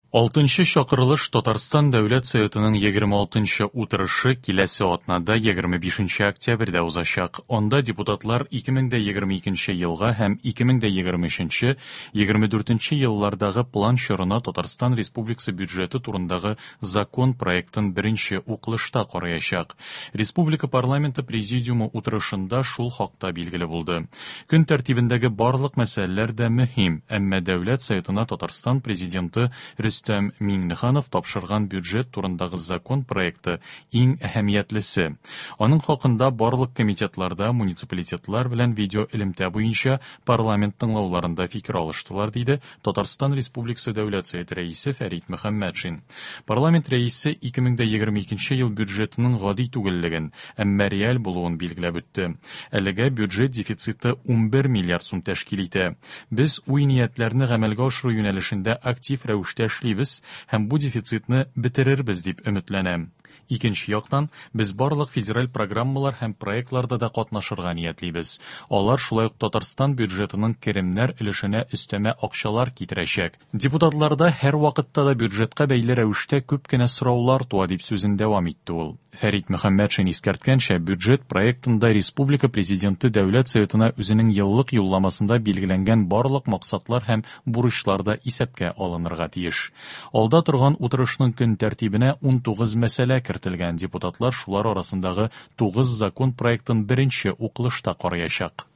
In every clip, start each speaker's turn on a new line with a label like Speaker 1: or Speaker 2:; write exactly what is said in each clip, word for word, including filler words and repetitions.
Speaker 1: Алтынчы чакырылыш Татарстан Дәүләт Советының егерме алтынчы утырышы киләсе атнада егерме бишенче октябрьдә узачак. Анда депутатлар ике мең дә егерме икенче елга һәм ике мең дә егерме өченче, егерме дүртенче еллардагы план чорына Татарстан Республикасы бюджеты турындагы закон проектын беренче укылышта караячак. Республика парламенты президиумы утырышында шул хакта билгеле булды. Көн тәртибендәге барлык мәсьәләләр дә мөһим, әмма Дәүләт Советына Татарстан президенты Рөстәм Миңнеханов тапшырган бюджет турындагы закон проекты иң әһәмиятлесе. Аның хакында барлык комитетларда муниципалитетлар белән видеоэлемтә буенча парламент тыңлауларында фикер алыштылар, диде Татарстан Республикасы Дәүләт Советы рәисе Фәрит Мөхәммәтшин. Парламент рәисе ике мең дә егерме икенче ел бюджетының гади түгеллеген, әмма реаль булуын билгеләп үтте. Әлегә бюджет дефициты унбер миллиард сум тәшкил итә. Без уй-ниятләрне гамәлгә ашыру юнәлешендә актив рәвештә эшлибез һәм бу дефицитны бетерербез дип өметләнәм. Икенче яктан, без барлык федераль программалар һәм проектларда да катнашырга ниятлибез. Алар шулай ук Татарстан бюджетының керемнәр өлешенә өстәмә акчалар китерәчәк. Депутатларда һәр вакытта да бюджетка бәйле рәвештә күп кенә сораулар туа дип сүзен дәвам итте ул. Фәрит Мөхәммәтшин искәрткәнчә, бюджет проектында Республика Президенты Дәүләт Советына үзенең еллык юлламасында билгеләнгән барлык максатлар һәм бурычлар да исәпкә алынырга тиеш. Алда торган утырышның көн тәртибенә унтугыз мәсьәлә кертелгән. Депутатлар шулар арасындагы тугыз закон проектын беренче укылышта караячак.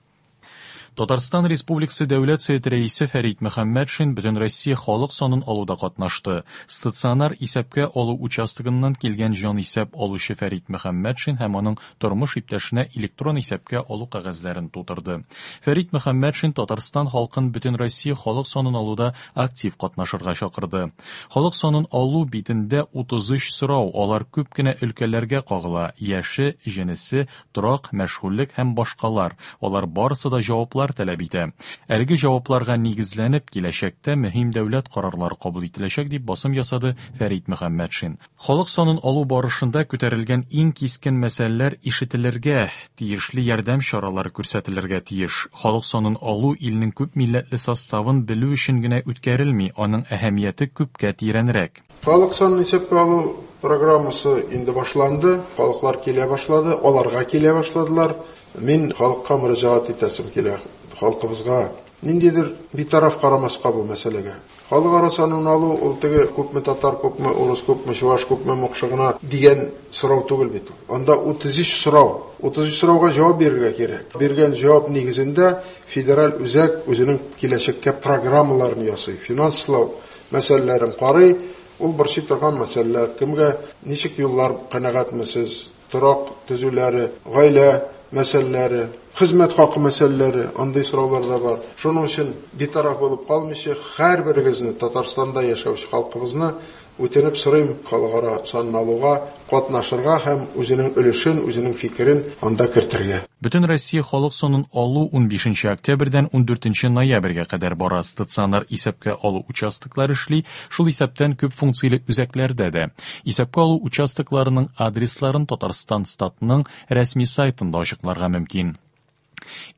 Speaker 1: Татарстан Республикасы Дәүләт Советы рәисе Фәрит Мөхәммәтшин Бөтенроссия халык санын алуда катнашты. Стационар исәпкә алу участогыннан килгән җан исәп алучы Фәрит Мөхәммәтшин һәм аның тормыш иптәшенә электрон исәпкә алу кәгазьләрен тутырды. Фәрит Мөхәммәтшин Татарстан халкын Бөтенроссия халык санын алуда актив катнашырга чакырды. Халык санын алу битендә утыз өч сорау, алар күп кенә өлкәләргә кагыла: яше, җенесе, торак, мәшгульлек һәм башкалар. Алар барысы да җаваплар таләп итә. Әлеге җавапларга нигезләнеп, киләчәктә мөһим дәүләт карарлары кабул ителәчәк дип басым ясады Фәрит Мөхәммәтшин. Халык санын алу барышында күтәрелгән иң кискен мәсьәләләр ишетелергә, тиешле ярдәм чаралары күрсәтелергә тиеш. Халык санын алу илнең күп милләтле составын белү өчен генә үткәрелми, аның әһәмияте күпкә тирәнрәк.
Speaker 2: Халык санын исәпкә алу программасы инде башланды, халыклар килә башлады, аларга килә башладылар. Мин халыкка мөрәҗәгать итәсем килә, халкыбызга ниндидер битараф карамаска бу мәсьәләгә. Халык ара санын алу ул теге күпме татар, күпме урыс, күпме чуваш, күпме мукшы гына дигән сорау түгел бит ул. Анда утыз өч сорау. Утыз өч сорауга җавап бирергә кирәк. Биргән җавап нигезендә федераль үзәк үзенең киләчәккә программаларын ясый, финанслау мәсьәләләрен карый. Ул борчый торган мәсьәләләр, кемгә ничек юллар канәгатьме сез, торак төзүләре, гаилә мәсьәләләре, хезмәт хакы мәсьәләләре, андый сораулар да бар. Шуның өчен битараф булып калмыйча, һәрберегезне Татарстанда яшәүче халкыбызны үтенеп сорыйм, халыкара санын алуга катнашырга һәм үзенең өлешен, үзенең фикерен анда кертергә.
Speaker 1: Бөтен Россия халык санын алу унбишенче октябрьдән ундүртенче ноябрьгә кадәр бара. Стационар исәпкә алу участоклары эшли, шул исәптән күп функцияле үзәкләрдә дә. Исәпкә алу участокларының адресларын Татарстан статының рәсми сайтында ачыкларга мөмкин.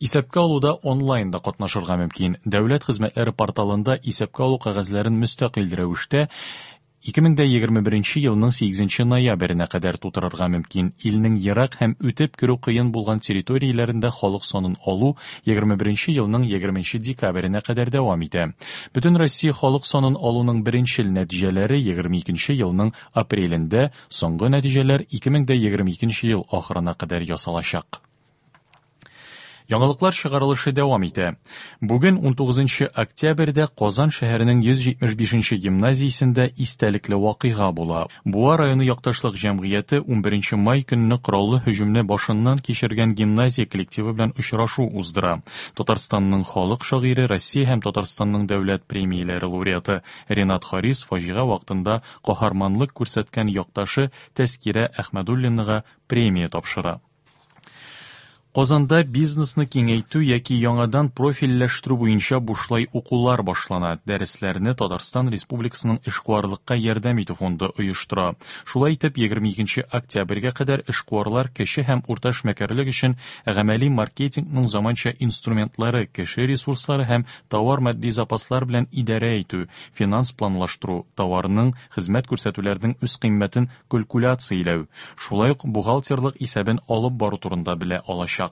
Speaker 1: Исәпкә алуда онлайн да катнашырга мөмкин. Дәүләт хезмәтләре порталында исәпкә алу кәгазьләрен мөстәкыйль рәвештә ике мең дә егерме беренче елның сигезенче ноябренә кадәр тутырырга мөмкин. Илнең ерак һәм үтеп керү кыен булган территорияләрендә халык санын алу егерме беренче елның егерменче декабренә кадәр дәвам итә. Бөтен Россия халык санын алуның беренчел нәтиҗәләре егерме икенче елның апрелендә, соңгы нәтиҗәләр ике мең дә егерме икенче ел ахырына кадәр ясалачак. Яңалыклар чыгарылышы дәвам итә. Бүген унтугызынчы октябрьдә Казан шәһәренең йөз җитмеш бишенче гимназиясендә истәлекле вакыйга була. Буа районы якташлык җәмгыяте унберенче май көнне кораллы һөҗүмне башыннан кичергән гимназия коллективы белән очрашу уздыра. Татарстанның халык шагыйре, Россия һәм Татарстанның дәүләт премияләре лауреаты Ренат Харис фаҗига вакытында каһарманлык күрсәткән якташы Тәскирә Әхмәдуллинага премия тапшыра. Казанда бизнесны киңәйтү яки яңадан профильләштерү буенча бушлай укулар башлана. Дәресләрне Татарстан Республикасының эшкуарлыкка ярдәм итү фонды оештыра. Шулай итеп, егерме икенче октябрьгә кадәр эшкуарлар кече һәм урта эшмәкәрлек өчен гамәли маркетингның заманча инструментлары, кеше ресурслары һәм товар матди запаслар белән идарә итү, финанс планлаштыру, товарның, хезмәт күрсәтүләрнең үз кыйммәтен калькуляцияләү, шулай ук бухгалтерлык исәбен алып бару турында белә алачак.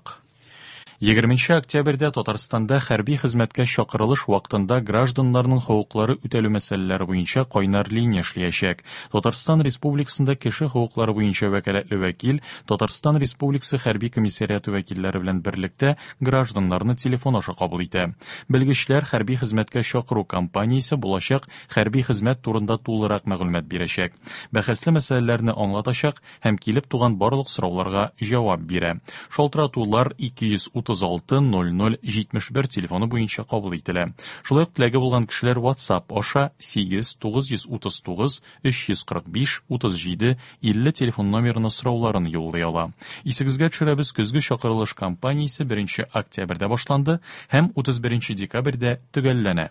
Speaker 1: Егерменче октябрьдә Татарстанда хәрби хезмәткә чакырылыш вакытында гражданнарның хокуклары үтәлү мәсьәләләре буенча кайнар линия эшләячәк. Татарстан Республикасында кеше хокуклары буенча вәкаләтле вәкил Татарстан Республикасы хәрби комиссариаты вәкилләре белән берлектә гражданнарны телефон аша кабул итә. Белгечләр хәрби хезмәткә чакыру кампаниясе булачак хәрби хезмәт турында тулырак мәгълүмат бирәчәк. Бәхәсле мәсьәләләрне аңлатачак һәм килеп туган барлык сорауларга җавап бирә. Шалтыратулар ике йөз утыз алты ноль ноль җитмеш бер телефоны буенча кабул ителә. Шулай ук теләге булган кешеләр WhatsApp аша сигез тугыз йөз утыз тугыз өч йөз кырык биш утыз җиде илле телефон номерына сорауларын юллый ала. Исегезгә төшерәбез, көзге чакырылыш кампаниясе беренче октябрьдә башланды һәм утыз беренче декабрьдә төгәлләнә.